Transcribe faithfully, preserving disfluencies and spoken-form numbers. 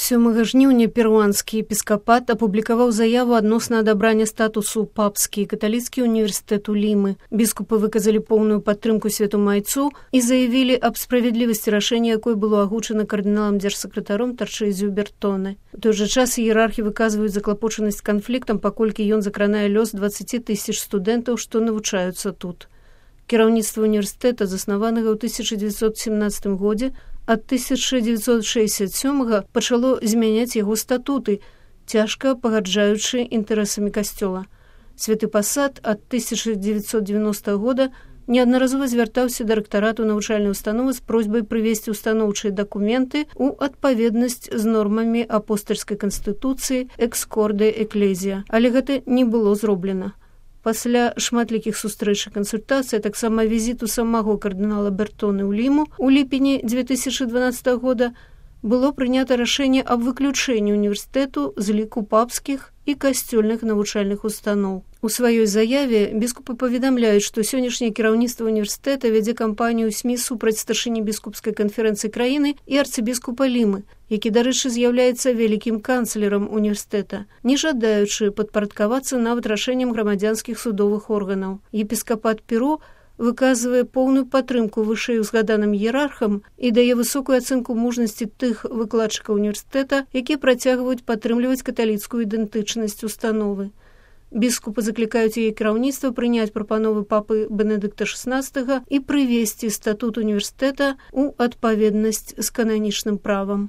сёмага жніўня перуанскі епіскапат апублікаваў заяву адносна адабрання статусу папскі каталіцкі універсітэт у Лімы. Біскупы выказалі поўную падтрымку святому айцу і заявілі аб справядлівасці рашэння, якое было агучана кардыналам дзяржсакратаром Тарчэзіу Бертоне. У той жа час іерархі выказваюць заклапочанасць канфліктам, паколькі ён закранае лёс дваццаці тысяч студэнтаў, што навучаюцца тут. Кіраўніцтва універсітэта, заснаванага ў тысяча дзевяцьсот семнаццатым годзе, ад тысяча дзевяцьсот шэсцьдзясят сёмага пачало змяняць яго статуты, цяжка пагаджаючы інтарэсамі касцёла. Святы пасад ад тысяча дзевяцьсот дзевяностага года неаднаразова звяртаўся да рэктарату навучальнай установы з просьбай прывесці устаноўчыя дакументы ў адпаведнасць з нормамі апостальскай канстытуцыі экскорде эклезія, але гэта не было зроблена. Пасля шматлікіх сустрэч і кансультацый, таксама візіту самого кардынала Бертоны ў Ліму у ліпені дзве тысячы дванаццатага года было прынята рашэнне аб выключэнні універсітэту з ліку папскіх і касцёльных навучальных устаноў. У сваёй заяве біскупы паведамляюць, што сённяшняе кіраўніцтва універсітэта вядзе кампанію СМІ супраць старшыні біскупскай канферэнцыі краіны і арцыбіскупа Лімы, які, дарэчы, з'яўляецца вялікім канцлерам універсітэта, не жадаючы падпарадкавацца нават рашэнням грамадзянскіх судовых органаў. Епіскапат Перу выказвае поўную падтрымку вышэй узгаданым іерархам і дае высокую ацэнку мужнасці тых выкладчыкаў універсітэта, якія працягваюць падтрымліваць каталіцкую ідэнтычнасць установы. Біскупы заклікаюць яе кіраўніцтва прыняць прапановы папы Бенедыкта шаснаццатага і прывесці статут універсітэта ў адпаведнасць з кананічным правам.